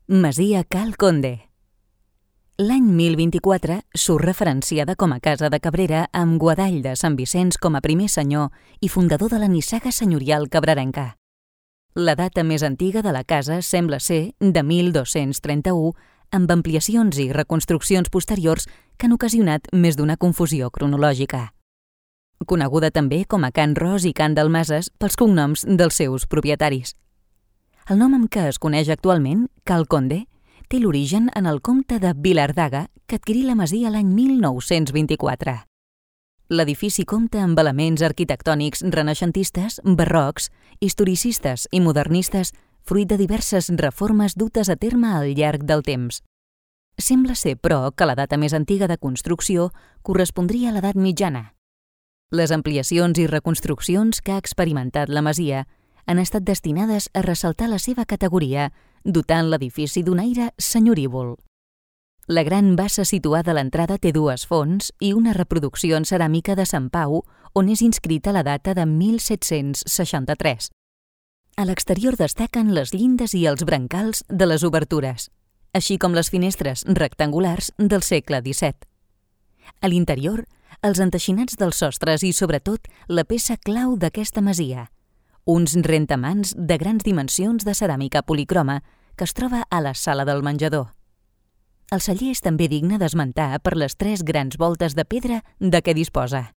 Masia Cal Conde. L'any 1024 surt referenciada com a casa de Cabrera amb Guadall de Sant Vicenç com a primer senyor i fundador de la nissaga senyorial cabrarenca. La data més antiga de la casa sembla ser de 1231, amb ampliacions i reconstruccions posteriors que han ocasionat més d'una confusió cronològica. Coneguda també com a Can Ros i Can Dalmases pels cognoms dels seus propietaris. El nom amb què es coneix actualment, Cal Conde, té l'origen en el comte de Vilardaga, que adquirí la masia l'any 1924. L'edifici compta amb elements arquitectònics renaixentistes, barrocs, historicistes i modernistes, fruit de diverses reformes dutes a terme al llarg del temps. Sembla ser, però, que la data més antiga de construcció correspondria a l'edat mitjana. Les ampliacions i reconstruccions que ha experimentat la masia han estat destinades a ressaltar la seva categoria, dotant l'edifici d'un aire senyorívol. La gran bassa situada a l'entrada té dues fonts i una reproducció en ceràmica de Sant Pau, on és inscrita la data de 1763. A l'exterior destaquen les llindes i els brancals de les obertures, així com les finestres rectangulars del segle XVII. A l'interior, els enteixinats dels sostres i, sobretot, la peça clau d'aquesta masia, uns rentamans de grans dimensions de ceràmica policroma que es troba a la sala del menjador. El celler és també digne d'esmentar per les 3 grans voltes de pedra de què disposa.